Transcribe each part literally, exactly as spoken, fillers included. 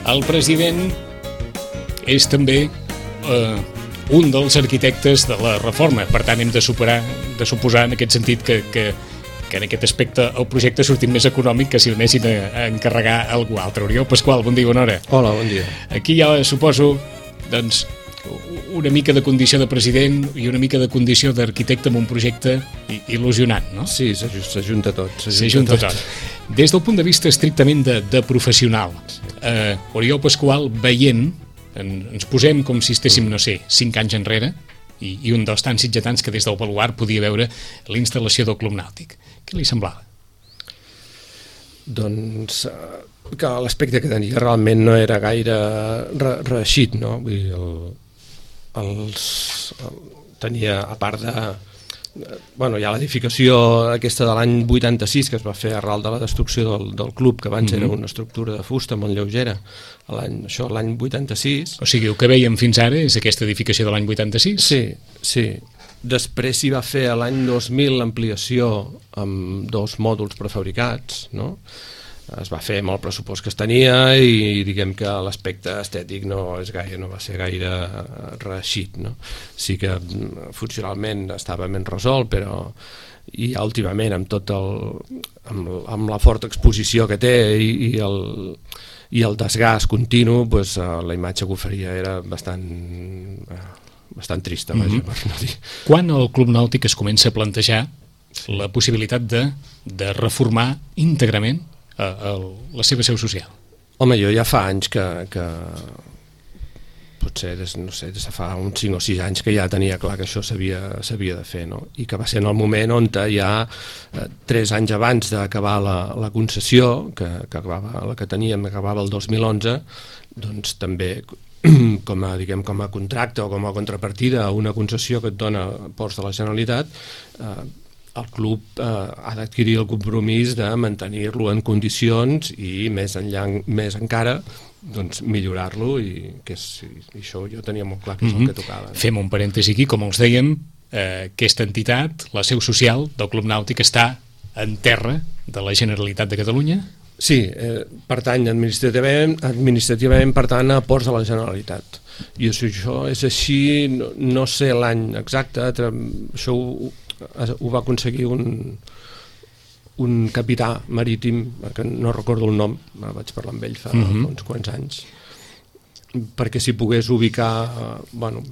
El president és també eh, un dels arquitectes de la reforma, per tant hem de superar, de suposar en aquest sentit que, que, que en aquest aspecte el projecte ha sortit més econòmic que si el anessin a, a encarregar a algú altre. Oriol Pasqual, bon dia, bona hora. Hola, bon dia. Aquí ja suposo, doncs, una mica de condició de president i una mica de condició d'arquitecte amb un projecte il·lusionant, no? Sí, s'ajunta tot. S'ajunta tot. Des del punt de vista estrictament de, de professional, eh, Oriol Pasqual, veient, en, ens posem com si estéssim, no sé, cinc anys enrere, i, i un dels tants sitgetans que des del baluard podia veure la instal·lació del Club Nàutic. Què li semblava? Doncs que l'aspecte que tenia realment no era gaire re reeixit, no? Vull dir, el, els, el, tenia, a part de... Bueno, hi ha l'edificació aquesta de l'any vuitanta-sis que es va fer arrel de la destrucció del, del club, que abans mm-hmm. era una estructura de fusta molt lleugera, això l'any vuitanta-sis. O sigui, el que veiem fins ara és aquesta edificació de l'any vuitanta-sis? Sí, sí. Després s'hi va fer a l'any dos mil l'ampliació amb dos mòduls prefabricats, no? Es va fer amb el pressupost que es tenia i diguem que l'aspecte estètic no és gaire, no va ser gaire reeixit, no? Sí que funcionalment estava ben resolt, però i últimament amb tot el amb, amb la forta exposició que té i, i el i el desgast continu, doncs, la imatge que oferia era bastant bastant trista, vaja, mm-hmm. per no dir. Quan el Club Nàutic es comença a plantejar la possibilitat de, de reformar íntegrament a, a la seva seu social? Home, jo ja fa anys que, que potser des, no sé, des de fa uns cinc o sis anys que ja tenia clar que això s'havia de fer, no? I que va ser en el moment on ja eh, tres anys abans d'acabar la, la concessió, que, que acabava, la que teníem acabava el dos mil onze, doncs també com a, diguem, com a contracte o com a contrapartida a una concessió que et dona Ports de la Generalitat, eh, el club eh, ha d'adquirir el compromís de mantenir-lo en condicions i més enllà, més encara doncs millorar-lo, i que és, i això jo tenia molt clar que és mm-hmm. el que tocava. No? Fem un parèntesi aquí, com els dèiem, eh, aquesta entitat, la seu social del Club Nàutic, està en terra de la Generalitat de Catalunya? Sí, eh, pertany administrativament, administrativament pertany a Ports de la Generalitat. I això és així, no, no sé l'any exacte, això ho, ho va aconseguir un, un capità marítim, que no recordo el nom, vaig parlar amb ell fa mm-hmm. uns quants anys, perquè s'hi pogués ubicar, bueno,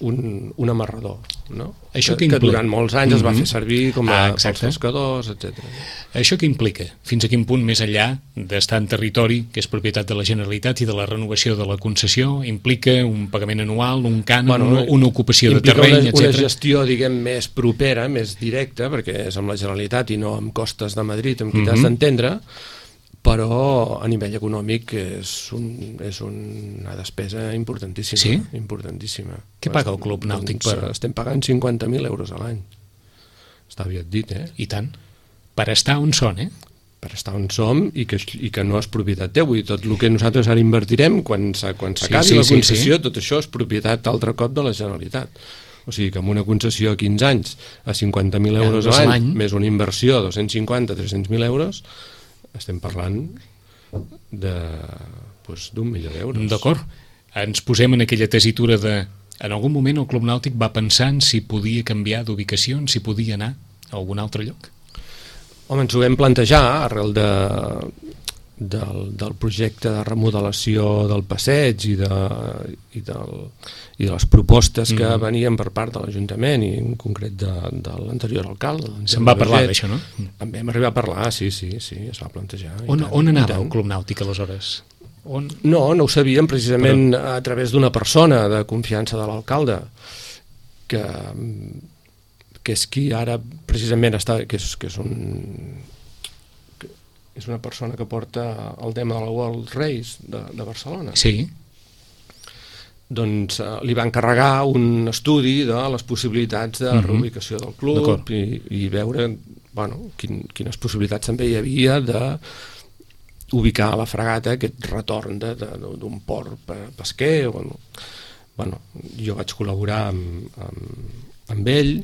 un, un amarrador, no? Això que, que durant molts anys mm-hmm. es va fer servir com a ah, pels pescadors, etcètera. Això què implica? Fins a quin punt, més enllà d'estar en territori que és propietat de la Generalitat i de la renovació de la concessió, implica un pagament anual, un cànon, bueno, una, una ocupació de terreny, una, etcètera? Una gestió, diguem, més propera, més directa, perquè és amb la Generalitat i no amb Costes de Madrid, amb qui mm-hmm. t'has d'entendre, però a nivell econòmic és, un, és una despesa importantíssima. Sí? Importantíssima. Què paga el Club Nàutic? Doncs, per... Estem pagant cinquanta mil euros a l'any. Està aviat dit, eh? I tant. Per estar on són, eh? Per estar on som i que, i que no és propietat teu. Vull dir, tot el que nosaltres ara invertirem, quan s'acabi sí, sí, la concessió, sí, sí. tot això és propietat altre cop de la Generalitat. O sigui que amb una concessió a quinze anys a cinquanta mil euros a l'any, més una inversió de dos-cents cinquanta a tres-cents mil euros, estem parlant de doncs, d'un milió d'euros. D'acord. Ens posem en aquella tesitura de... En algun moment el Club Nàutic va pensar en si podia canviar d'ubicació, en si podia anar a algun altre lloc? Home, ens ho vam plantejar arrel de, del, del projecte de remodelació del passeig i de, i del, i de les propostes que mm. venien per part de l'Ajuntament i en concret de, de l'anterior alcalde. Se'n va parlar d'això, no? En vam arribar a parlar, sí, sí, sí, es va plantejar. On, tant, on anava el Club Nàutic aleshores? On... No, no ho sabíem precisament Però... a través d'una persona de confiança de l'alcalde que, que és qui ara precisament està, que és, que és un... és una persona que porta el tema de la World Race de, de Barcelona. Sí. Doncs eh, li va encarregar un estudi de les possibilitats de uh-huh. reubicació del club i, i veure bueno, quin, quines possibilitats també hi havia de ubicar a la Fragata aquest retorn d'un port pesquer. Bueno, bueno, jo vaig col·laborar amb, amb, amb ell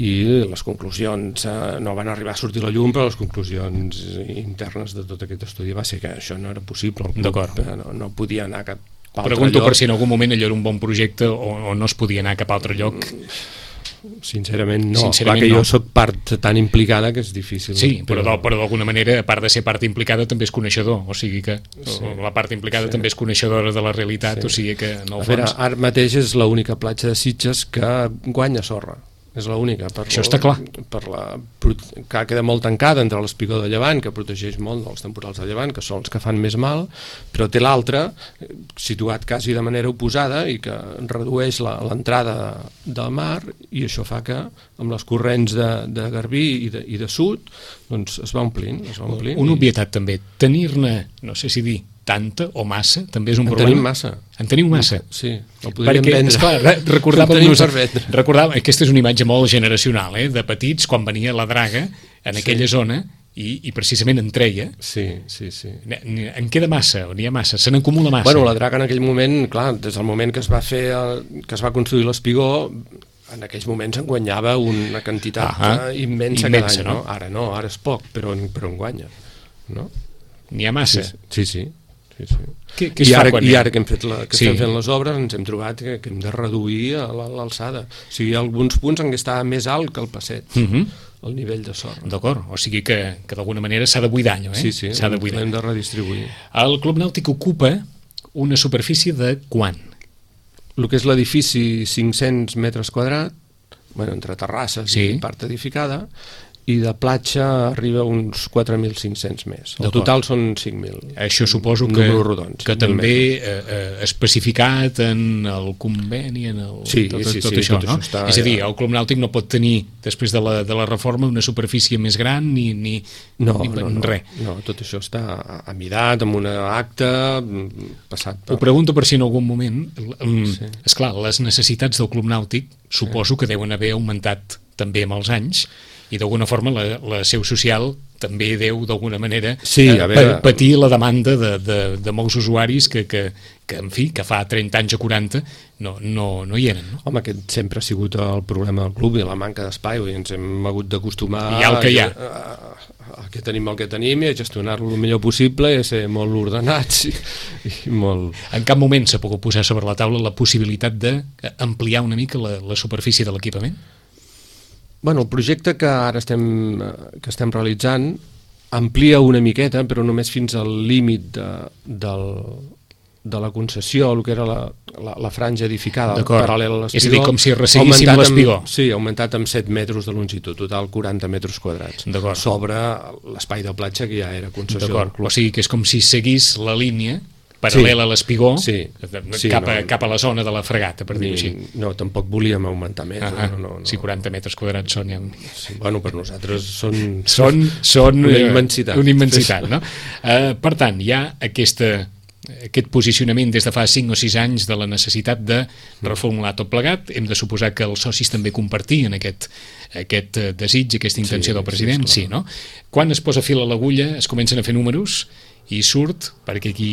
i les conclusions eh, no van arribar a sortir a la llum, però les conclusions internes de tot aquest estudi va ser que això no era possible. D'acord. No, no podia anar a cap altre Pregunto lloc. Per si en algun moment allò era un bon projecte o, o no es podia anar a cap altre lloc. Sincerament no, Sincerament clar que no. jo sóc part tan implicada que és difícil. Sí, però, però, però d'alguna manera, a part de ser part implicada, també és coneixedor, o sigui que sí. la part implicada sí. també és coneixedora de la realitat, sí. o sigui que en el a veure, fons... ara mateix és l'única platja de Sitges que guanya sorra. És l'única. Això està clar. Per la, que queda molt tancada entre l'espigó de Llevant, que protegeix molt dels temporals de Llevant, que són els que fan més mal, però té l'altra, situat quasi de manera oposada i que redueix l'entrada del mar, i això fa que amb les corrents de, de Garbí i de, i de sud doncs es va omplint. Es va omplint Una i... obvietat també, tenir-ne, no sé si dir, tanta o massa, també és un en problema. En tenim massa. En teniu massa? Sí, el podríem Perquè, vendre. Esclar, recordàvem-nos, per recordàvem, aquesta és una imatge molt generacional, eh? De petits, quan venia la draga en aquella sí. zona i, i precisament en treia. Sí, sí, sí. En queda massa, o n'hi ha massa, se n'acumula massa. Bueno, la draga en aquell moment, clar, des del moment que es va fer, el, que es va construir l'espigó, en aquells moments en guanyava una quantitat ah immensa, immensa cada any, no? no? Ara no, ara és poc, però, però en guanya, no? N'hi ha massa. Sí, sí, sí. sí, sí. Què, què I, ara, quan I ara que, hem fet la, que sí. estem fent les obres ens hem trobat que, que hem de reduir l'alçada. O sigui, alguns punts han d'estar més alt que el passeig, uh -huh. el nivell de sorra. D'acord, o sigui que, que d'alguna manera s'ha de buidar allò, eh? Sí, sí, l'hem de redistribuir. El Club Nàutic ocupa una superfície de quant? El que és l'edifici, cinc-cents metres quadrats, bueno, entre terrasses sí. i part edificada, i de platja arriba a uns quatre mil cinc-cents més. El total són cinc mil. Això suposo que, rodons, que també eh, eh, especificat en el conveni, en el, sí, tot, sí, tot sí, això, tot no? Això està, és a dir, ja... el Club Nàutic no pot tenir, després de la, de la reforma, una superfície més gran ni, ni, no, ni no, no, res. No, tot això està amidat amb una acta passat per... Ho pregunto per si en algun moment, sí. esclar, les necessitats del Club Nàutic suposo que deuen haver augmentat també amb els anys, i d'alguna forma la, la seu social també deu d'alguna manera sí, eh, veure... patir la demanda de, de, de molts usuaris que, que, que, en fi, que fa trenta anys o quaranta no, no, no hi eren. No? Home, aquest sempre ha sigut el problema del club i la manca d'espai, i ens hem hagut d'acostumar I el que hi ha. A, a, a que tenim el que tenim i a gestionar-lo el millor possible i a ser molt ordenats i, i molt... En cap moment s'ha pogut posar sobre la taula la possibilitat d'ampliar una mica la, la superfície de l'equipament? Bueno, el projecte que ara estem, que estem realitzant amplia una miqueta, però només fins al límit de, del, de la concessió, el que era la, la, la franja edificada paral·lela a l'espigó. És a dir, com si resseguíssim l'espigó. Sí, ha augmentat amb set metres de longitud, total quaranta metres quadrats, sobre l'espai de platja que ja era concessió del club. O sigui que és com si seguís la línia paral·lela sí. a l'espigó sí. sí, cap, a, no, cap a la zona de la fregata, per dir-ho així. No, tampoc volíem augmentar més. Ah, no, no, no. Si quaranta metres quadrats són... Ja... Sí, bueno, per nosaltres són... Són, són una immensitat. Una immensitat, no? Uh, per tant, hi ha aquesta, aquest posicionament des de fa cinc o sis anys de la necessitat de reformular tot plegat. Hem de suposar que els socis també compartien aquest, aquest desig, aquesta intenció sí, del president. Sí, sí, no? Quan es posa fil a l'agulla, es comencen a fer números i surt, perquè aquí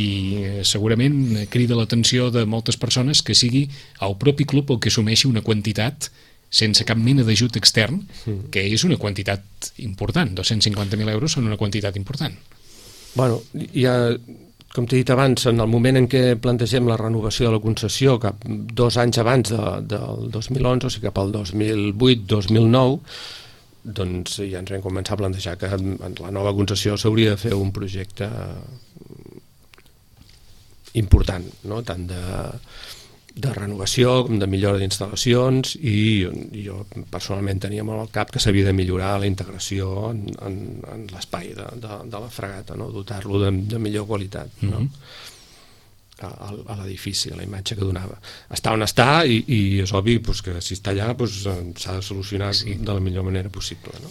segurament crida l'atenció de moltes persones, que sigui el propi club el que assumeixi una quantitat sense cap mena d'ajut extern, que és una quantitat important. dos-cents cinquanta mil euros són una quantitat important. Bueno, hi ha, com t'he dit abans, en el moment en què plantegem la renovació de la concessió, cap dos anys abans de, del dos mil onze, o sigui cap al dos mil vuit dos mil nou, doncs ja ens vam començar a plantejar que en la nova concessió s'hauria de fer un projecte important, no? Tant de, de renovació com de millora d'instal·lacions, i, i jo personalment tenia molt al cap que s'havia de millorar la integració en, en, en l'espai de, de, de la fregata, no? Dotar-lo de, de millor qualitat, no? Mm-hmm. a, a l'edifici, a la imatge que donava. Està on està i, i és obvi doncs, que si està allà doncs, s'ha de solucionar sí. de la millor manera possible. No?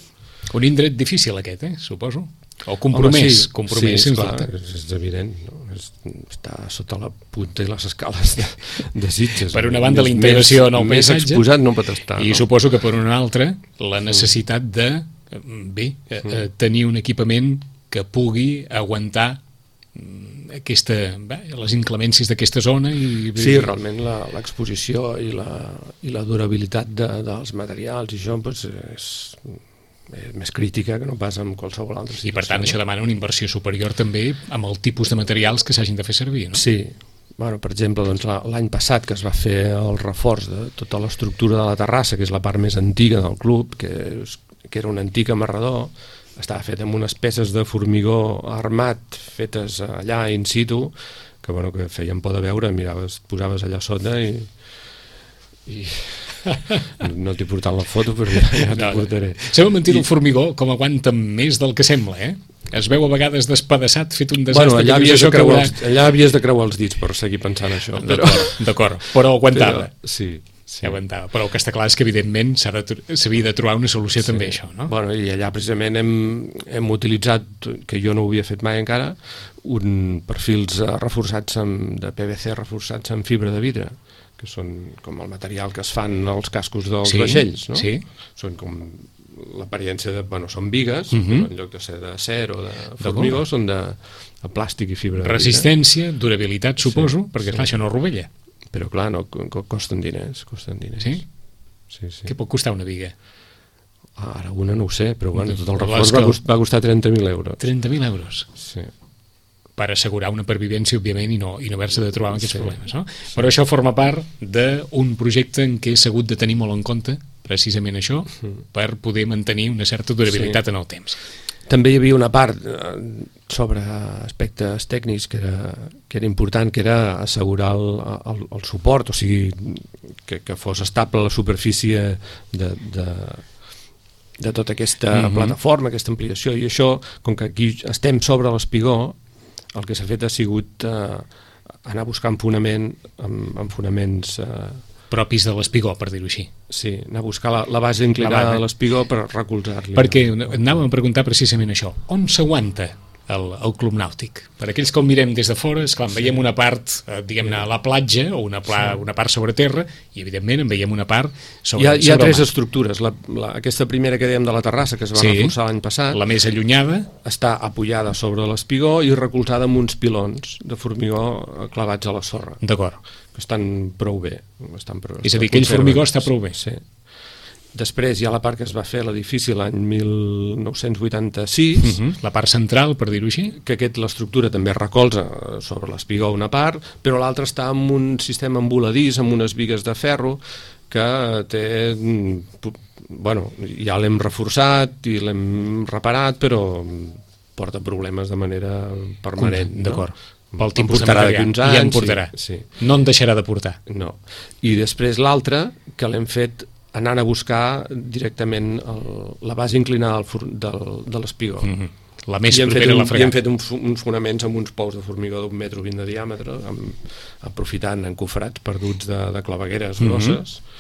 Un indret difícil aquest, eh? Suposo. O compromès. Home, sí, compromès, sí, clar, és, és evident. No? És, està sota la punta i les escales de, de Sitges. Per una banda, la integració en el més paisatge. Més exposat no pot estar. I no? suposo que per una altra, la necessitat de bé, mm. tenir un equipament que pugui aguantar aquesta, bé, les inclemències d'aquesta zona i... Sí, realment l'exposició i, la, i la durabilitat de, dels materials i això pues, és, és més crítica que no pas en qualsevol altra situació. I per tant això demana una inversió superior també amb el tipus de materials que s'hagin de fer servir, no? Sí. Bueno, per exemple, doncs, l'any passat que es va fer el reforç de tota l'estructura de la terrassa, que és la part més antiga del club, que, és, que era un antic amarrador, estava fet amb unes peces de formigó armat fetes allà in situ, que, bueno, que feien por de veure, miraves, et posaves allà sota i... i... no t'he portat la foto, però ja, ja t'ho no, portaré. Sabeu mentir, el formigó com aguanta més del que sembla, eh? Es veu a vegades despedaçat, fet un desastre. Bueno, allà havies, de creuar, haurà... allà havies de creuar els dits per seguir pensant això. Però... D'acord, però aguantava. Però, sí, sí. Aguantava. Però el que està clar és que evidentment s'havia de trobar una solució sí. també a això, no? Bueno, i allà precisament hem, hem utilitzat, que jo no ho havia fet mai encara, un perfils reforçats amb, de P V C reforçats amb fibra de vidre, que són com el material que es fan als cascos dels sí, vaixells, no? Sí. Són com l'apariència de... Bueno, són bigues, uh -huh. en lloc de ser d'acer o de formigó, de són de, de plàstic i fibra de resistència, vidre. Durabilitat, suposo, sí, perquè sí. clar, això no rovella. Però clar, no, costen diners, costen diners. Sí? Sí, sí. Què pot costar una biga? Ara una no ho sé, però bueno, tot el reforç va, cost, va costar trenta mil euros. trenta mil euros? Sí. Per assegurar una pervivència, òbviament, i no, i no haver-se de trobar amb aquests sí, problemes, no? Sí. Però això forma part d'un projecte en què s'ha hagut de tenir molt en compte precisament això, per poder mantenir una certa durabilitat sí. en el temps. També hi havia una part sobre aspectes tècnics que era, que era important, que era assegurar el, el, el suport, o sigui, que, que fos estable la superfície de, de, de tota aquesta uh-huh. plataforma, aquesta ampliació, i això, com que aquí estem sobre l'espigó, el que s'ha fet ha sigut eh, anar buscant fonament amb, amb fonaments eh, propis de l'espigó, per dir-ho així. Sí, anar a buscar la, la base inclinada de l'espigó per recolzar-li. Perquè anàvem a preguntar precisament això. On s'aguanta el, el club nàutic? Per aquells que el mirem des de fora, esclar, en veiem una part, eh, diguem-ne, a la platja, o una, pla, sí. una part sobre terra, i evidentment en veiem una part sobre Hi ha, hi ha sobre tres estructures. La, la, aquesta primera que dèiem de la terrassa, que es va sí, reforçar l'any passat, la més allunyada, està apoyada sobre l'espigó i recolzada amb uns pilons de formigó clavats a la sorra. D'acord. Que estan prou bé. Estan prou, és a dir, aquell formigó està prou bé. Sí. Després hi ha la part que es va fer a l'edifici l'any mil nou-cents vuitanta-sis, uh-huh. la part central, per dir-ho així, que aquest l'estructura també recolza sobre l'espigó una part, però l'altra està amb un sistema emboladís, amb unes bigues de ferro, que té... Bueno, ja l'hem reforçat i l'hem reparat, però porta problemes de manera permanent. D'acord. No? Pel tipus de material, anys, ja en portarà. Sí, sí. No en deixarà de portar. No. I després l'altra, que l'hem fet anant a buscar directament el, la base inclinada del, del, de l'espigó. Mm-hmm. La més propera a la fregada. I hem fet un, uns fonaments amb uns pous de formigó d'un metre vint de diàmetre, amb, aprofitant encofrats perduts de, de clavegueres grosses, mm-hmm.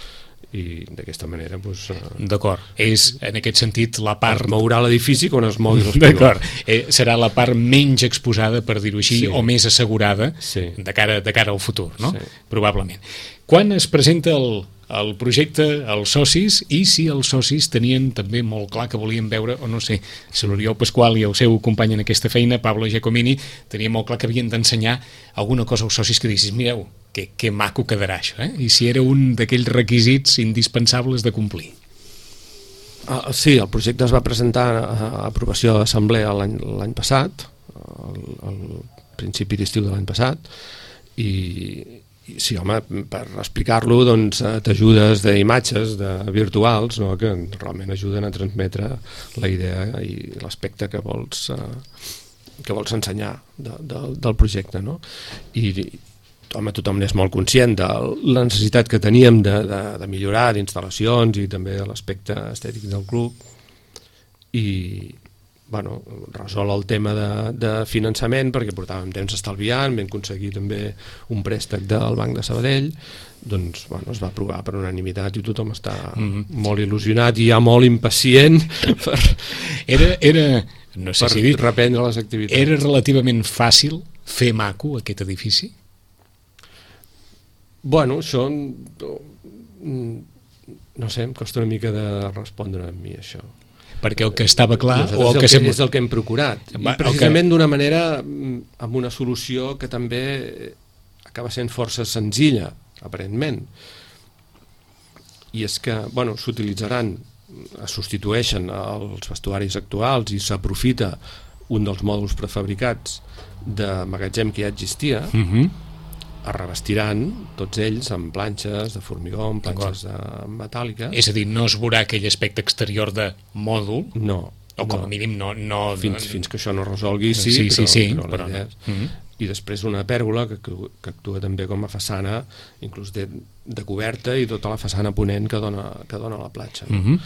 i d'aquesta manera doncs, d'acord, és en aquest sentit la part... Es mourà l'edifici quan es mogui l'espigó. D'acord, eh, serà la part menys exposada, per dir-ho així, sí. o més assegurada sí. de, cara, de cara al futur, no? Sí. Probablement. Quan es presenta el, el projecte als socis, i si els socis tenien també molt clar que volien veure, o no sé, si l'Oriol Pasqual i el seu company en aquesta feina, Pablo Giacomini, tenien molt clar que havien d'ensenyar alguna cosa als socis que diguessis, mireu, que, que maco quedarà això, eh? I si era un d'aquells requisits indispensables de complir. Ah, sí, el projecte es va presentar a aprovació d'assemblea l'any passat, al, al principi d'estiu de l'any passat, i, i sí, home, per explicar-lo doncs, t'ajudes d'imatges de virtuals, no? Que realment ajuden a transmetre la idea i l'aspecte que vols eh, que vols ensenyar de, de, del projecte, no? I home, tothom n'és molt conscient de la necessitat que teníem de, de, de millorar d'instal·lacions i també de l'aspecte estètic del club, i bueno, resol el tema de, de finançament, perquè portàvem temps estalviant, vam aconseguir també un préstec del Banc de Sabadell, doncs bueno, es va aprovar per unanimitat i tothom està mm-hmm. molt il·lusionat i ja molt impacient per, era, era, no sé per si dir, reprendre les activitats. Era relativament fàcil fer maco aquest edifici? Bueno, això no sé, em costa una mica de respondre a mi això. perquè el que estava clar... Nosaltres o el el que que sembla... és el que hem procurat. I precisament d'una manera, amb una solució que també acaba sent força senzilla, aparentment. I és que, bueno, s'utilitzaran, es substitueixen els vestuaris actuals i s'aprofita un dels mòduls prefabricats de magatzem que ja existia, uh-huh. es revestiran tots ells amb planxes de formigó, amb planxes de metàl·liques. És a dir, no es veurà aquell aspecte exterior de mòdul, no, o com no. a mínim no... no fins, no... fins que això no es resolgui, sí, sí, però, sí, sí, però, però no. Uh-huh. I després una pèrgola que, que actua també com a façana, inclús de, de coberta, i tota la façana ponent que dona, que dona la platja. Uh-huh.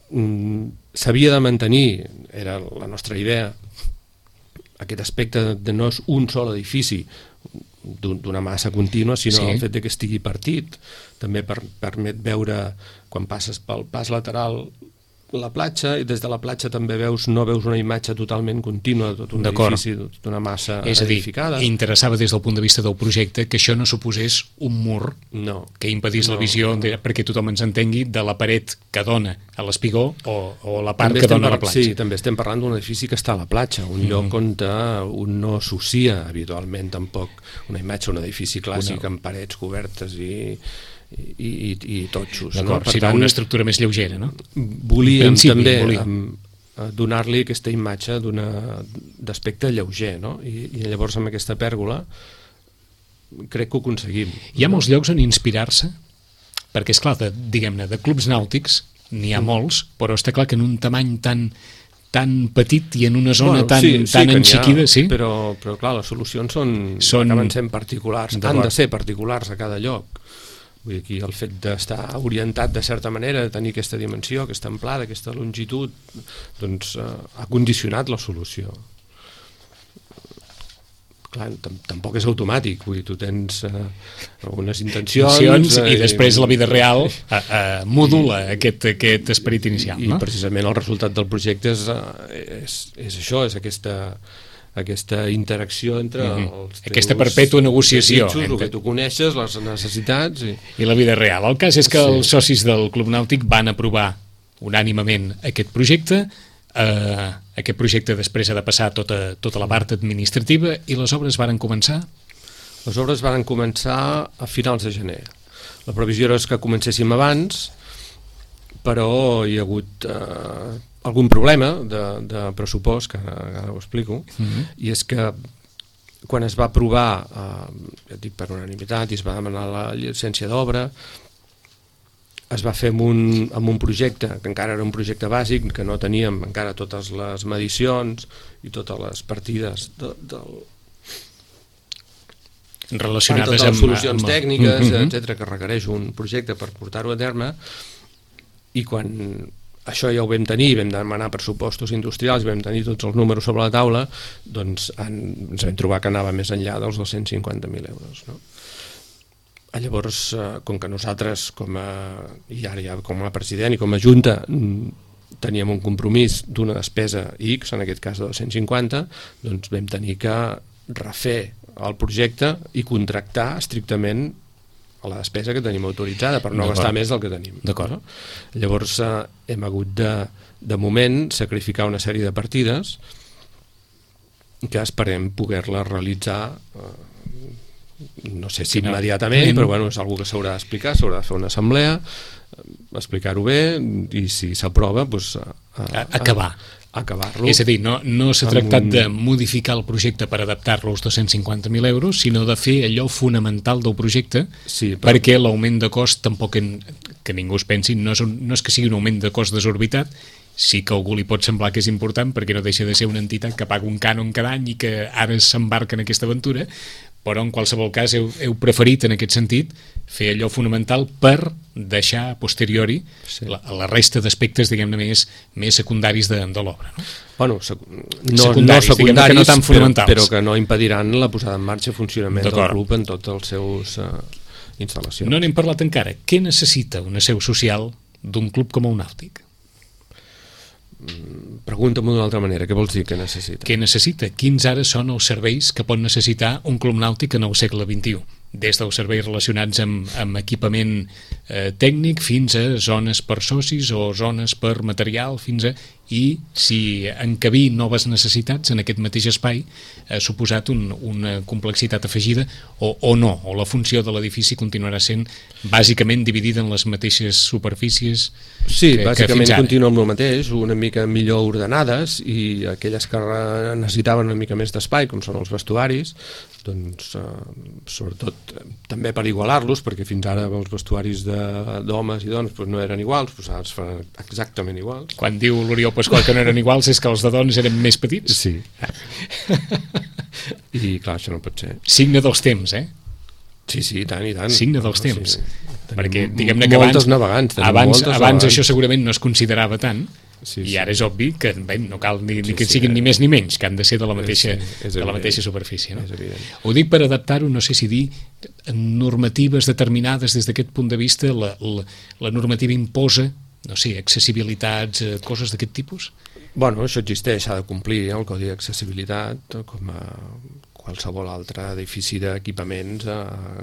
Mm, s'havia de mantenir, era la nostra idea, aquest aspecte de no és un sol edifici d'una massa contínua, sinó sí. el fet de que estigui partit també per, permet veure, quan passes pel pas lateral, la platja, i des de la platja també veus, no veus una imatge totalment contínua de tot un edifici, d'una massa és edificada. És a dir, interessava des del punt de vista del projecte que això no suposés un mur no, que impedís no, la visió, no. perquè tothom ens entengui, de la paret que dona a l'espigó o, o la part també que dona par... a la platja. Sí, també estem parlant d'un edifici que està a la platja, un mm-hmm. lloc on uh, un no associa habitualment tampoc una imatge, un edifici clàssic no. amb parets cobertes i i, i, i totxos. D'acord, no? si no, una estructura més lleugera, no? Volíem principi, també volíem. donar-li aquesta imatge d'aspecte lleuger, no? I, i llavors amb aquesta pèrgola crec que ho aconseguim. Hi ha molts llocs on inspirar-se, perquè és clar, de, diguem-ne, de clubs nàutics n'hi ha mm. molts, però està clar que en un tamany tan tan petit i en una zona bueno, tan, sí, sí, tan enxiquida, ha, sí? Però, però clar, les solucions són, són... acaben sent particulars, han de ser particulars a cada lloc. Vull dir, aquí el fet d'estar orientat de certa manera, de tenir aquesta dimensió, aquesta amplada, aquesta longitud, doncs eh, ha condicionat la solució. Clar, tampoc és automàtic, vull dir, tu tens eh, algunes intencions... intencions eh, I després la vida real eh, eh, modula aquest, aquest esperit inicial. I, no? I precisament el resultat del projecte és, és, és això, és aquesta... aquesta interacció entre mm-hmm. els teus aquesta perpètua negociació desitjos, entre... el que tu coneixes, les necessitats i... i la vida real. El cas és que sí. els socis del Club Nàutic van aprovar unànimament aquest projecte. Eh, aquest projecte després ha de passar tota, tota la part administrativa i les obres varen començar? Les obres varen començar a finals de gener. La previsió és que comencéssim abans, però hi ha hagut eh, algun problema de, de pressupost, que ara, ara ho explico, mm-hmm. i és que quan es va aprovar, eh, ja dic per unanimitat, i es va demanar la llicència d'obra, es va fer amb un, amb un projecte, que encara era un projecte bàsic, que no teníem encara totes les medicions i totes les partides de, del... relacionades totes les amb... solucions amb... tècniques, mm-hmm. etcètera, que requereix un projecte per portar-ho a terme, i quan això ja ho vam tenir, vam demanar pressupostos industrials, vam tenir tots els números sobre la taula, doncs en, ens vam trobar que anava més enllà dels dos-cents cinquanta mil euros, no? Llavors, com que nosaltres, com a, i ara ja com a president i com a junta, teníem un compromís d'una despesa X, en aquest cas de dos-cents cinquanta, doncs vam tenir que refer el projecte i contractar estrictament a la despesa que tenim autoritzada per no gastar més del que tenim. D'acord. No? Llavors eh, hem hagut de, de moment, sacrificar una sèrie de partides que esperem poder-la realitzar, eh, no sé si immediatament, però bueno, és una que s'haurà d'explicar, s'haurà de fer una assemblea, explicar-ho bé, i si s'aprova, doncs, a, a, acabar. acabar-lo. És a dir, no, no s'ha tractat un... de modificar el projecte per adaptar-lo als dos-cents cinquanta mil euros, sinó de fer allò fonamental del projecte, sí, però... perquè l'augment de cost tampoc, en, que ningú es pensi, no és, un, no és que sigui un augment de cost desorbitat, sí que a algú li pot semblar que és important perquè no deixa de ser una entitat que paga un cànon cada any i que ara s'embarca en aquesta aventura, però en qualsevol cas heu, heu preferit en aquest sentit fer allò fonamental per deixar a posteriori sí. la, la resta d'aspectes, diguem-ne, més, més secundaris de, de l'obra. No? Bueno, sec no, secundaris, no secundaris, que no tan fonamentals. Però, però que no impediran la posada en marxa i funcionament del club en tots els seus uh, instal·lacions. No n'hem parlat encara. Què necessita una seu social d'un club com el Nàutic? Pregunta-m'ho d'una altra manera, què vols dir que necessita? Què necessita? Quins ara són els serveis que pot necessitar un club nàutic en el segle vint-i-u? des dels serveis relacionats amb, amb equipament eh, tècnic fins a zones per socis o zones per material, fins a... i si encabir noves necessitats en aquest mateix espai ha suposat un, una complexitat afegida o, o no, o la funció de l'edifici continuarà sent bàsicament dividida en les mateixes superfícies. Sí, que, bàsicament que continua amb el mateix, una mica millor ordenades, i aquelles que necessitaven una mica més d'espai, com són els vestuaris, doncs eh, sobretot eh, també per igualar-los, perquè fins ara els vestuaris d'homes i dones doncs, no eren iguals, doncs ara es fan exactament iguals. Quan diu l'Oriol Pasqual que no eren iguals és que els de dones eren més petits? Sí. I clar, això no pot ser. Signe dels temps, eh? Sí, sí, tant i tant. Signe dels temps. Sí. Perquè diguem-ne que abans, navegants, abans, abans navegants. Això segurament no es considerava tant, sí, i ara és obvi que bé, no cal ni, ni sí, que siguin sí, ni més ni menys, que han de ser de la mateixa, sí, de la mateixa superfície. No? Ho dic per adaptar-ho, no sé si dir, normatives determinades des d'aquest punt de vista, la, la, la normativa imposa, no sé, accessibilitats, eh, coses d'aquest tipus? Bueno, això existeix, s'ha de complir el Codi d'Accessibilitat com a qualsevol altre edifici d'equipaments a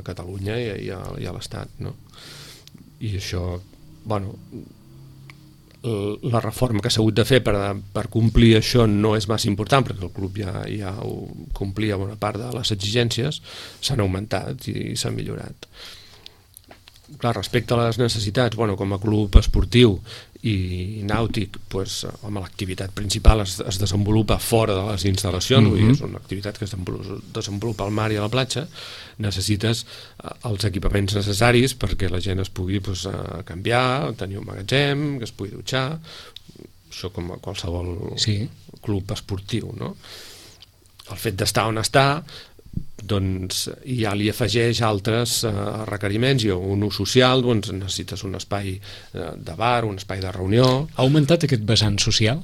Catalunya i, i a, i a l'Estat, no? I això, bueno, la reforma que s'ha hagut de fer per, per complir això no és massa important, perquè el club ja, ja ho complia bona part de les exigències, s'han augmentat i s'han millorat. Clar, respecte a les necessitats, bueno, com a club esportiu i nàutic, pues, home, l'activitat principal es, es desenvolupa fora de les instal·lacions, mm-hmm. vull dir, és una activitat que es desenvolupa al mar i a la platja, necessites els equipaments necessaris perquè la gent es pugui pues, canviar, tenir un magatzem, que es pugui dutxar, això com a qualsevol sí. club esportiu, no? El fet d'estar on està, doncs ja li afegeix altres eh, requeriments, i un ús social, doncs necessites un espai eh, de bar, un espai de reunió. Ha augmentat aquest vessant social?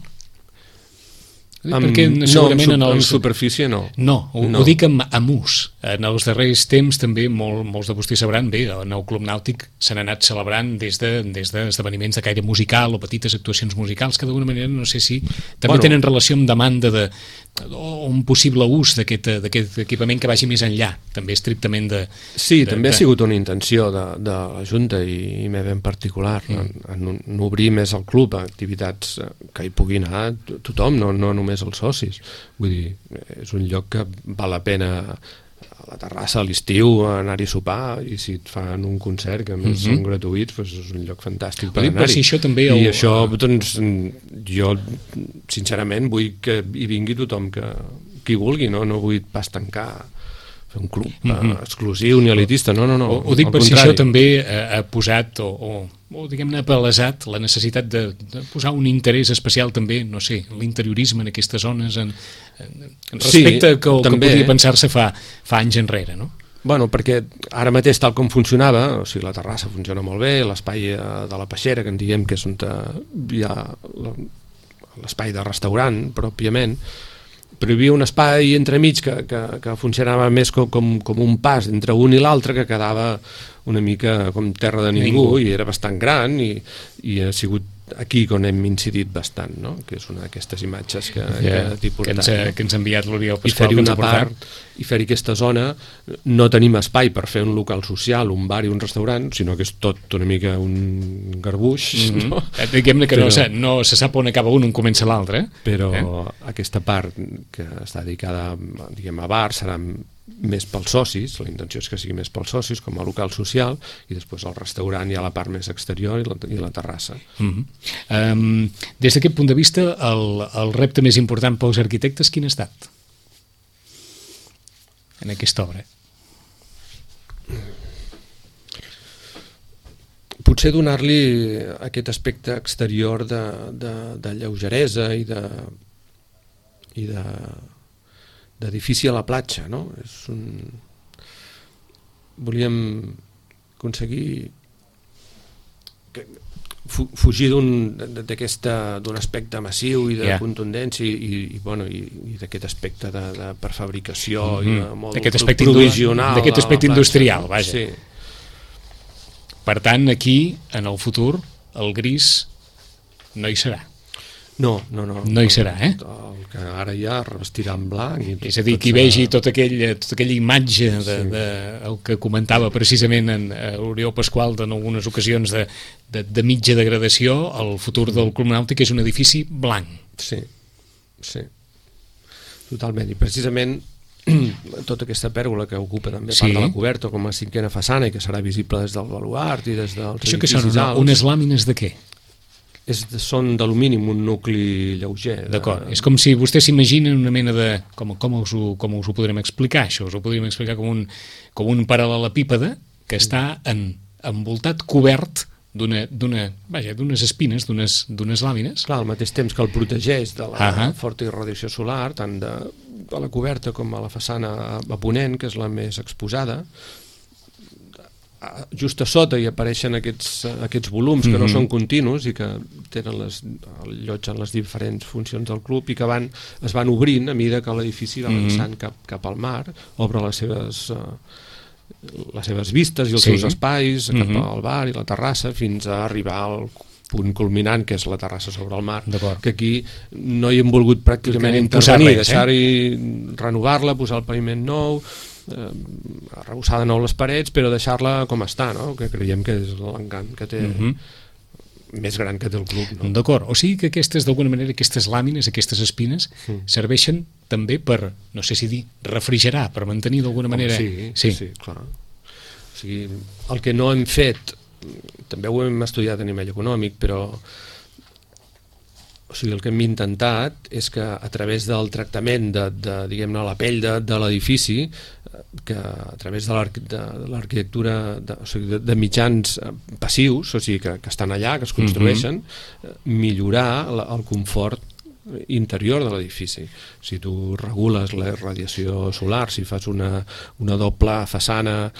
Amb, perquè segurament no, en, en, els... en superfície no. No, ho, no. ho dic amb, amb ús. En els darrers temps també molt, molts de vostès sabran, bé, el nou club nàutic s'han anat celebrant des de, des d'esdeveniments de caire musical o petites actuacions musicals que d'alguna manera no sé si també bueno, tenen relació amb demanda de, o un possible ús d'aquest equipament que vagi més enllà, també estrictament de... Sí, de, també de... ha sigut una intenció de, de la Junta i, i meva en particular, mm. en, en, en obrir més el club a activitats que hi pugui anar tothom, no, no només els socis. Vull dir, és un lloc que val la pena a la terrassa a l'estiu anar-hi a sopar, i si et fan un concert que a més mm-hmm. són gratuïts, doncs és un lloc fantàstic per anar-hi. Si això també I el... això, doncs, jo sincerament vull que hi vingui tothom que, que hi vulgui, no? No vull pas tancar fer un club mm-hmm. eh, exclusiu ni elitista, no, no, no. Ho, ho dic per contrari. Si això també ha posat o, o, o diguem-ne, ha palesat la necessitat de, de posar un interès especial també, no sé, l'interiorisme en aquestes zones, en, en, en respecte sí, que, que podria pensar-se fa, fa anys enrere, no? Bueno, perquè ara mateix, tal com funcionava, o sigui, la terrassa funciona molt bé, l'espai de la peixera, que en diem que és on hi ha l'espai de restaurant, pròpiament, però hi havia un espai entremig que, que, que funcionava més com, com, com un pas entre un i l'altre, que quedava una mica com terra de ningú, ningú. I era bastant gran, i, i ha sigut aquí on hem incidit bastant, no? Que és una d'aquestes imatges que, yeah, que t'he portat. Que ens, ha, que ens ha enviat l'Oriol Pasqual. I fer-hi una part, i fer-hi aquesta zona, no tenim espai per fer un local social, un bar i un restaurant, sinó que és tot una mica un garbuix. Mm-hmm. No? Diguem-ne que però, no, se, no se sap on acaba un, on comença l'altre. Però eh? aquesta part que està dedicada, diguem, a bar serà més pels socis, la intenció és que sigui més pels socis com a local social, i després el restaurant hi ha la part més exterior i la, i la terrassa. Mm-hmm. um, des d'aquest punt de vista, el, el repte més important pels arquitectes quin ha estat en aquesta obra? Potser donar-li aquest aspecte exterior de, de, de lleugeresa i de i de d'edifici a la platja, no? És un... Volíem aconseguir fugir d'un d'un aspecte massiu i de yeah. contundència i, i, i, bueno, i, i d'aquest aspecte de, de prefabricació mm-hmm. i de molt provisional. D'aquest aspecte industrial, vaja. Sí. Per tant, aquí, en el futur, el gris no hi serà. No, no, no. No hi serà, eh? El que ara ja revestirà en blanc. I tot, és a dir, qui vegi tota aquella, tota aquella imatge de, sí. de, el que comentava precisament en Oriol Pasqual en algunes ocasions de, de, de mitja degradació, el futur del Club Nàutic és un edifici blanc. Sí, sí. Totalment. I precisament tota aquesta pèrgola que ocupa també sí. part de la coberta com a cinquena façana i que serà visible des del baluart i des dels Això que són una, unes làmines de què? És de, són d'alumini amb un nucli lleuger. De... D'acord, és com si vostè s'imagina una mena de... Com, com, us ho, com us ho podrem explicar, això? Us ho podríem explicar com un, com un paral·lelepípede que està en, envoltat, cobert d'una, d'una, vaja, d'unes espines, d'unes, d'unes làmines. Clar, al mateix temps que el protegeix de la uh-huh. forta irradiació solar, tant de, de la coberta com a la façana a ponent, que és la més exposada. Just a sota hi apareixen aquests, aquests volums que mm-hmm. no són continus i que tenen les, allotgen les diferents funcions del club i que van, es van obrint a mesura que l'edifici va avançant mm-hmm. cap, cap al mar, obre les seves, uh, les seves vistes i els sí. seus espais cap mm-hmm. al bar i la terrassa fins a arribar al punt culminant, que és la terrassa sobre el mar, que aquí no hi hem volgut pràcticament intervenir, res, deixar-hi, eh? renovar-la, posar el paviment nou, eh, arrebossar de nou les parets, però deixar-la com està, no? Que creiem que és l'encant que té, mm-hmm. més gran que té el club. No? D'acord, o sigui que aquestes, d'alguna manera, aquestes làmines, aquestes espines, mm. serveixen també per, no sé si dir, refrigerar, per mantenir d'alguna manera... Sí, sí, sí, clar. O sigui, el que no hem fet, també ho hem estudiat a nivell econòmic, però o sigui, el que hem intentat és que a través del tractament de, de diguem-ne, la pell de, de l'edifici, que a través de l'arquitectura, de, o sigui, de, de mitjans passius, o sigui, que, que estan allà, que es construeixen, mm-hmm. millorar la, el confort interior de l'edifici. Si tu regules la radiació solar, si fas una, una doble façana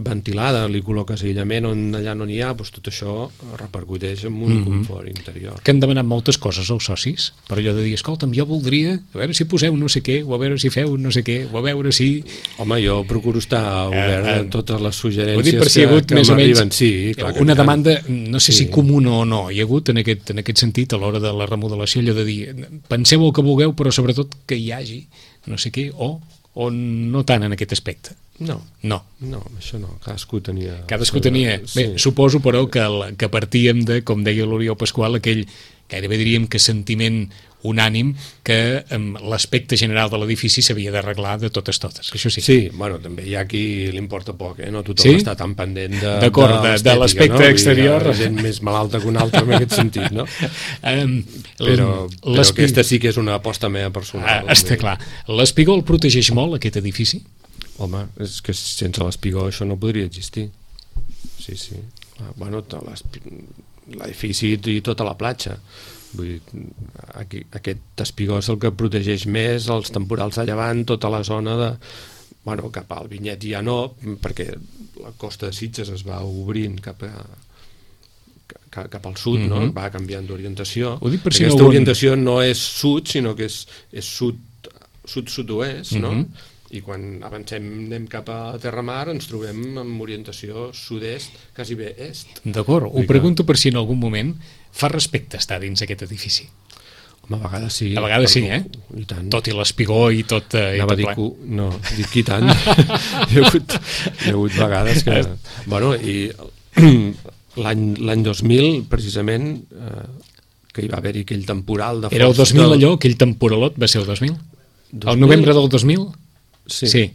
ventilada, li col·loques aïllament on allà no n'hi ha, doncs tot això repercuteix en un mm-hmm. confort interior. Que han demanat moltes coses als socis, per allò de dir, escolta'm, jo voldria, a veure si poseu no sé què, o a veure si feu no sé què, o a veure si... Home, jo procuro estar obert a uh, uh, totes les suggerències per si que, hagut, que m'arriben. Menys, sí, clar, una que demanda, no sé sí. si comuna o no, hi ha hagut en aquest, en aquest sentit a l'hora de la remodelació allò de dir, penseu el que vulgueu, però sobretot que hi hagi no sé què, o, o no tant en aquest aspecte. No, no, no, això no, cadascú tenia... Cadascú tenia, bé, sí. Suposo però que, el, que partíem de, com deia l'Oriol Pasqual, aquell, gairebé diríem que sentiment unànim que um, l'aspecte general de l'edifici s'havia d'arreglar de totes totes, això sí. Sí, bueno, també hi ha qui li importa poc, eh? No tothom sí? està tan pendent de, D'acord, de, de l'aspecte no? exterior. Hi ha gent més malalta que una altra en aquest sentit, no? Um, però però aquesta sí que és una aposta meva personal. Ah, està clar. L'espigó el protegeix molt, aquest edifici? Home, és que sense l'espigó això no podria existir. Sí, sí. Bueno, l'edifici i tota la platja. Vull dir, aquí, aquest espigó és el que protegeix més els temporals de llevant, tota la zona de... Bueno, cap al Vinyet ja no, perquè la costa de Sitges es va obrint cap a... cap al sud, mm-hmm. no? Va canviant d'orientació. Per si Aquesta no orientació no és sud, sinó que és, és sud, sud-sud-oest, mm-hmm. no? I quan avancem, anem cap a Terramar, ens trobem amb orientació sud-est, quasi bé est. D'acord, ho pregunto per si en algun moment fa respecte estar dins aquest edifici. Home, a vegades sí. A vegades sí, eh? I tant. Tot i l'espigó i tot... Eh, Anava a dir que... No, dic i tant. hi, ha hagut, hi ha hagut vegades que... Bueno, i l'any, l'any dos mil, precisament, eh, que hi va haver-hi aquell temporal de... Era el dos mil del... allò, aquell temporalot va ser el dos mil? dos mil? El novembre del dos mil? Sí. sí.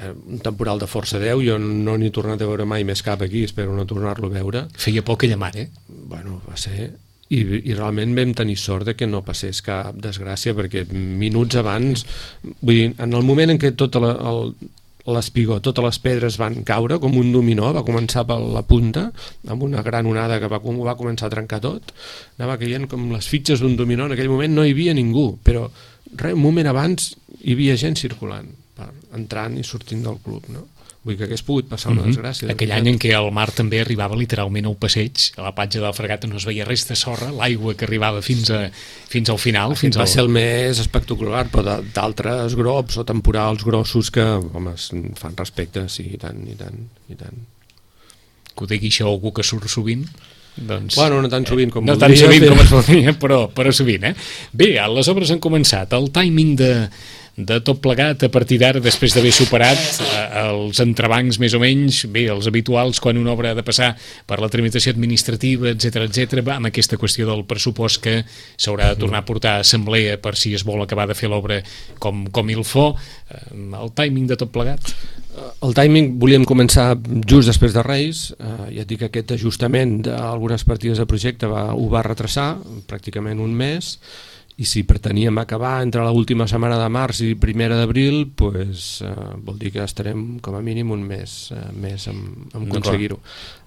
Un temporal de força deu, jo no n'he tornat a veure mai més cap aquí, espero no tornar-lo a veure. Feia por aquella mar, eh? Bueno, va ser... I, i realment vam tenir sort de que no passés cap desgràcia, perquè minuts abans, vull dir, en el moment en què tot la, el, l'espigó, totes les pedres van caure com un dominó, va començar per la punta, amb una gran onada que va, va començar a trencar tot, anava caient com les fitxes d'un dominó, en aquell moment no hi havia ningú, però res, un moment abans hi havia gent circulant, entrant i sortint del club, no? Vull que hagués pogut passar una desgràcia. Aquell any en què el mar també arribava literalment al passeig, a la platja del Fregat no es veia res de sorra, l'aigua que arribava fins, a, fins al final. Fins va al... ser el més espectacular, però d'altres grops o temporals grossos que, home, fan respecte, sí, i tant, i tant, i tant. Que ho digui això algú que surt sovint? Doncs, bueno, no tan sovint com no voldria. No tan sovint però... com es voldria, però, però sovint, eh? Bé, les obres han començat. El timing de, de tot plegat, a partir d'ara, després d'haver superat eh, els entrebancs més o menys, bé, els habituals, quan una obra ha de passar per la tramitació administrativa, etcètera, etcètera, va amb aquesta qüestió del pressupost que s'haurà de tornar a portar a assemblea per si es vol acabar de fer l'obra com, com il fo. El timing de tot plegat? El timing volíem començar just després de Reis. Eh, ja et dic que aquest ajustament d'algunes partides de projecte va, ho va retrasar pràcticament un mes, i si preteníem acabar entre l'última setmana de març i primera d'abril, pues, eh, vol dir que estarem com a mínim un mes eh, més en, en aconseguir-ho.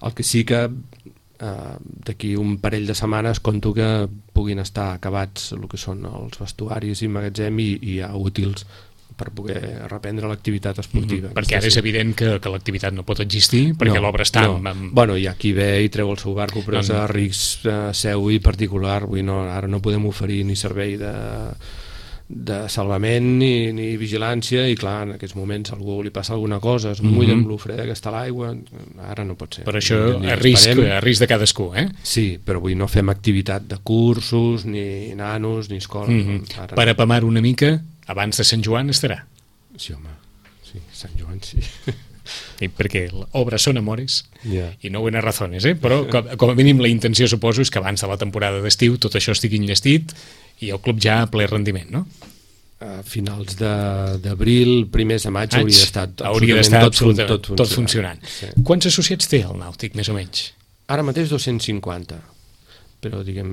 El que sí que eh, d'aquí un parell de setmanes conto que puguin estar acabats el que són els vestuaris i magatzem i, i ja útils per poder reprendre l'activitat esportiva. Mm-hmm. Perquè ara és evident que, que l'activitat no pot existir, perquè no, l'obra està... No. Amb... Bueno, hi ha qui ve i treu el seu barco, però és a risc eh, seu i particular. Vull, no, ara no podem oferir ni servei de, de salvament ni, ni vigilància, i clar, en aquests moments a algú li passa alguna cosa, es mulla mm-hmm. amb l'ofreda que està a l'aigua, ara no pot ser. Per això a risc, a risc de cadascú, eh? Sí, però vull, no fem activitat de cursos, ni nanos, ni escola. Mm-hmm. Ara per apamar una mica, abans de Sant Joan estarà. Sí, home, sí, Sant Joan sí. I perquè l'obra són amores yeah. i no buenas razones, eh? Però com, com a mínim la intenció suposo és que abans de la temporada d'estiu tot això estigui enllestit i el club ja a ple rendiment, no? A finals d'abril, primers de maig, Maig, hauria estat hauria d'estar tot, absolutament tot, tot funcionant. Tot funcionant. Sí. Quants associats té el Nàutic, més o menys? Ara mateix dos-cents cinquanta, però diguem...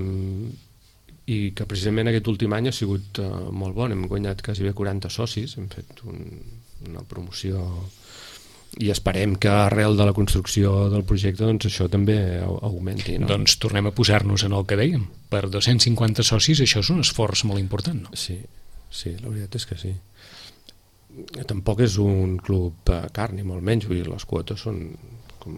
i que precisament aquest últim any ha sigut uh, molt bon, hem guanyat quasi bé quaranta socis, hem fet un, una promoció i esperem que arrel de la construcció del projecte doncs això també augmenti, no? Doncs tornem a posar-nos en el que dèiem, per dos-cents cinquanta socis això és un esforç molt important, no? Sí, sí, la veritat és que sí. Tampoc és un club uh, car, ni molt menys, vull dir, les quotes són com,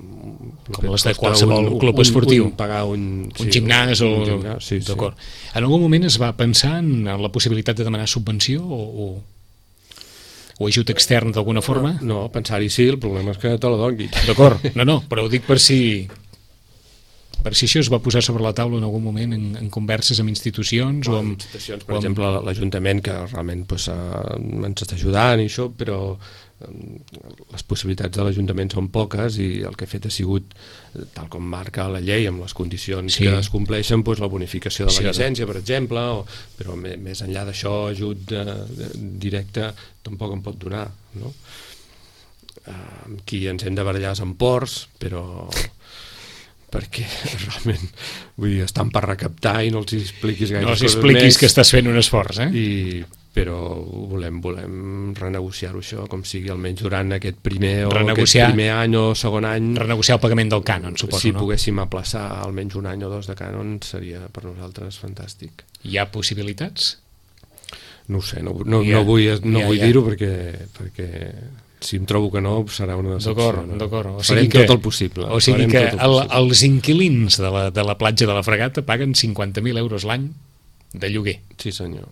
com les de qualsevol un, club esportiu, un, un, pagar un, sí, un gimnàs o... un gimnàs, sí, d'acord. Sí. En algun moment es va pensar en la possibilitat de demanar subvenció o, o, o ajut extern d'alguna forma? No, no, pensar-hi sí, el problema és que te la doni. D'acord, no, no, però ho dic per si per si això es va posar sobre la taula en algun moment en, en converses amb institucions no, o amb... institucions, per o amb... exemple l'Ajuntament, que realment pues, uh, ens està ajudant i això, però les possibilitats de l'Ajuntament són poques i el que ha fet ha sigut, tal com marca la llei, amb les condicions sí. que es compleixen, doncs la bonificació de la sí, llicència, per exemple, o, però més enllà d'això, ajut de, de, directe tampoc en pot donar, no? Amb qui ens hem de barallar amb ports, però perquè realment vull dir, estan per recaptar i no els expliquis gaire no els coses expliquis més, que estàs fent un esforç, eh? I però volem, volem renegociar-ho això, com sigui almenys durant aquest primer o aquest primer any o segon any. Renegociar el pagament del cànon, suposo, si no? Si poguéssim aplaçar almenys un any o dos de cànon seria per nosaltres fantàstic. Hi ha possibilitats? No ho sé, no, no, ja, no vull, no ja, vull ja. dir-ho perquè, perquè si em trobo que no serà una decepció. D'acord, no? d'acord. O sigui Farem que, tot el possible. O sigui que el, els inquilins de la, de la platja de la Fregata paguen cinquanta mil euros l'any de lloguer. Sí, senyor.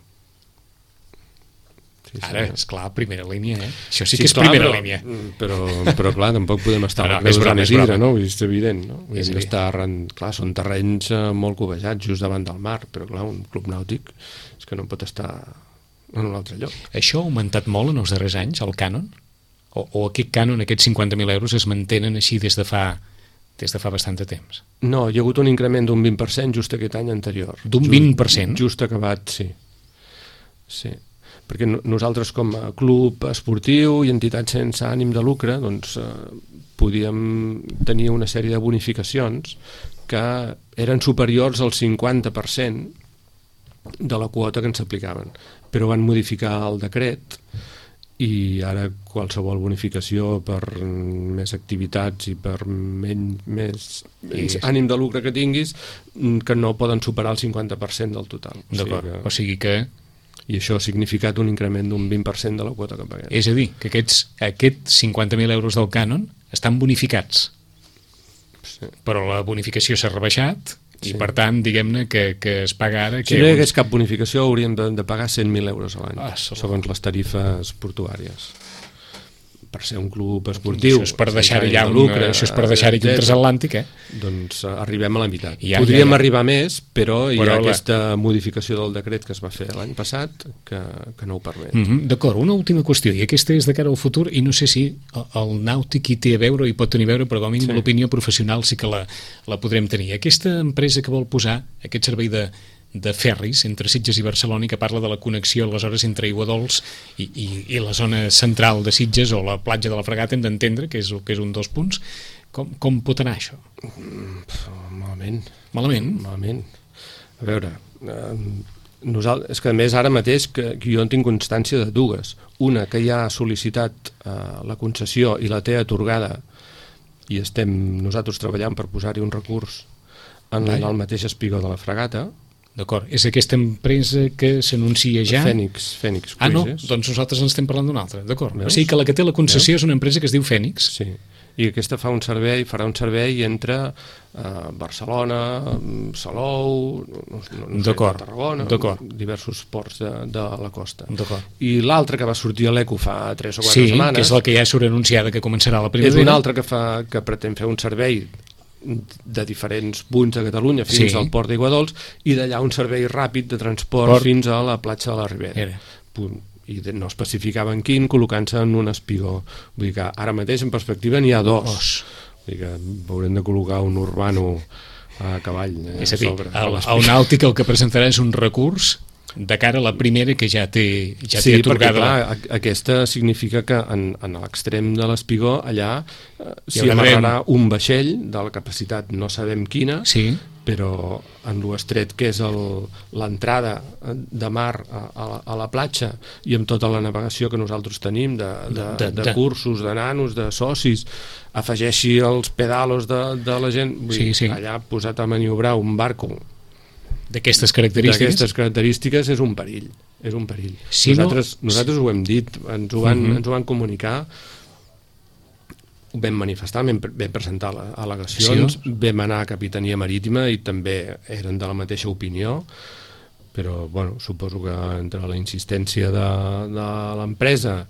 Sí, ara, esclar, primera línia, eh? Això sí, sí que és clar, primera però, línia. Però, però clar, tampoc podem estar no, no, a és broma, és broma. No? És evident, no? És Hem d'estar arran... Clar, són terrenys uh, molt cobejats, just davant del mar, però clar, un club nàutic és que no pot estar en un altre lloc. Això ha augmentat molt en els darrers anys, el cànon? O, o aquest cànon, aquests cinquanta mil euros, es mantenen així des de fa... des de fa bastant de temps? No, hi ha hagut un increment d'un vint per cent just aquest any anterior. D'un vint per cent? Just, just acabat, sí. Sí. Perquè nosaltres com a club esportiu i entitat sense ànim de lucre doncs eh, podíem tenir una sèrie de bonificacions que eren superiors al cinquanta per cent de la quota que ens aplicaven, però van modificar el decret i ara qualsevol bonificació per més activitats i per menys, més, menys ànim de lucre que tinguis, que no poden superar el cinquanta per cent del total. D'acord, o sigui que... O sigui que... I això ha significat un increment d'un vint per cent de la quota que paguem. És a dir, que aquests, aquests cinquanta mil euros del cànon estan bonificats. Sí. Però la bonificació s'ha rebaixat i, sí. per tant, diguem-ne que, que es paga ara... Si no hi hagués cap bonificació hauríem de, de pagar cent mil euros a l'any, ah, segons les tarifes portuàries. per ser un club esportiu, això és per deixar-hi ja un, lucre, això és per deixar-hi un transatlàntic, eh? Doncs arribem a la meitat. Ja, Podríem ja, ja. arribar més, però hi però ha la... aquesta modificació del decret que es va fer l'any passat que, que no ho permet. Mm -hmm. D'acord, una última qüestió, i aquesta és de cara al futur, i no sé si el nàutic hi té a veure, hi pot tenir a veure, però com a mínim sí. L'opinió professional sí que la, la podrem tenir. Aquesta empresa que vol posar aquest servei de de ferris entre Sitges i Barcelona i que parla de la connexió aleshores entre Aiguadols i, i, i la zona central de Sitges o la platja de la Fragata, hem d'entendre que és, que és un dels punts. Com, com pot anar això? Mm, malament. Malament? Malament. A veure, eh, nosaltres, és que a més ara mateix que, que jo en tinc constància de dues. Una, que ja ha sol·licitat eh, la concessió i la té atorgada i estem nosaltres treballant per posar-hi un recurs en, en el mateix espigó de la Fragata. D'acord, és aquesta empresa que s'anuncia ja? Fènix, Fènix Ah, no? Cruises. Doncs nosaltres ens estem parlant d'una altra, d'acord. O sigui que la que té la concessió Veus? És una empresa que es diu Fènix. Sí, i aquesta fa un servei, farà un servei entre eh, Barcelona, Salou, no, no sé, Tarragona, diversos ports de, de la costa. I l'altra que va sortir a l'Eco fa tres o quatre sí, setmanes... Sí, que és la que ja surt anunciada que començarà la primavera. És una altra que, fa, que pretén fer un servei de diferents punts de Catalunya fins sí. al port d'Aiguadols i d'allà un servei ràpid de transport Port. fins a la platja de la Ribera. Era. Punt. I no especificaven quin, col·locant-se en un espigó. Vull dir que ara mateix en perspectiva n'hi ha dos. dos. Vull dir que haurem de col·locar un urbano a cavall. Eh, és a dir, sobre, el, el nàutic el que presentarà és un recurs de cara a la primera que ja té, ja sí, té atorgada. Sí, perquè clar, aquesta significa que en, en l'extrem de l'espigó allà eh, s'hi amarrarà un vaixell de la capacitat no sabem quina, sí. però en l'estret que és l'entrada de mar a, a, la, a la platja i amb tota la navegació que nosaltres tenim de, de, de, de, de cursos, de nanos, de socis, afegeixi els pedalos de, de la gent, vull sí, dir, sí. allà posat a maniobrar un barco d'aquestes característiques d'aquestes característiques és un perill, és un perill. Si nosaltres, no... nosaltres ho hem dit, ens ho van, uh -huh. ens ho van comunicar, ho vam manifestar, vam, vam presentar al·legacions, sí. vam anar a Capitania Marítima i també eren de la mateixa opinió, però bueno, suposo que entre la insistència de, de l'empresa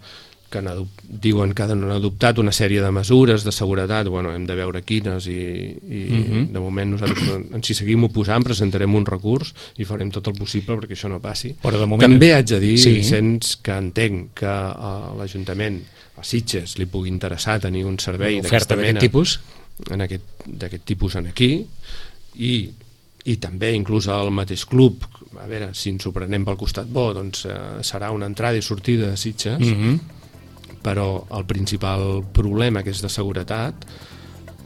que diuen que han adoptat una sèrie de mesures de seguretat, bueno, hem de veure quines i, i uh -huh. de moment nosaltres ens hi seguim oposant, presentarem un recurs i farem tot el possible perquè això no passi. Però de moment... També haig de dir, sí. Vicenç, que entenc que a l'Ajuntament, a Sitges, li pugui interessar tenir un servei d'aquesta mena tipus? d'aquest tipus en aquí i i també inclús al mateix club, a veure, si ens ho prenem pel costat bo, doncs eh, serà una entrada i sortida de Sitges, uh -huh. però el principal problema, que és de seguretat,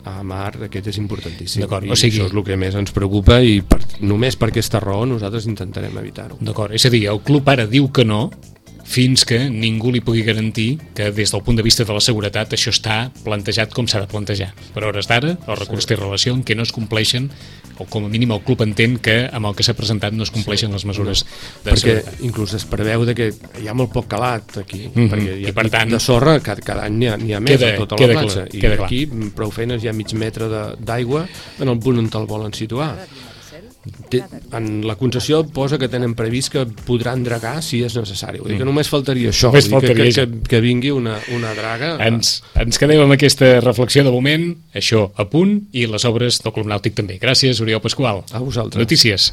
a mar, aquest és importantíssim. I o sigui... això és el que més ens preocupa i per, només per aquesta raó nosaltres intentarem evitar-ho. D'acord, és a dir, el club ara diu que no, fins que ningú li pugui garantir que des del punt de vista de la seguretat això està plantejat com s'ha de plantejar. Per hores d'ara, el recurs sí. té relació en què no es compleixen, o com a mínim el club entén que amb el que s'ha presentat no es compleixen sí. les mesures no. de perquè seguretat. Perquè inclús es preveu de que hi ha molt poc calat aquí, mm -hmm. perquè hi ha I per tant, de sorra, cada, cada any n'hi ha, ha més queda, a tota la platja, clar, i aquí clar. prou feines hi ha mig metre d'aigua en el punt on te'l volen situar. En la concessió posa que tenen previst que podran dragar si és necessari. Vull dir que només faltaria això, només faltaria que, que, que, que vingui una, una draga. Ens, ens quedem amb aquesta reflexió de moment, això a punt, i les obres del Club Nàutic també. Gràcies, Oriol Pasqual. A vosaltres. Notícies.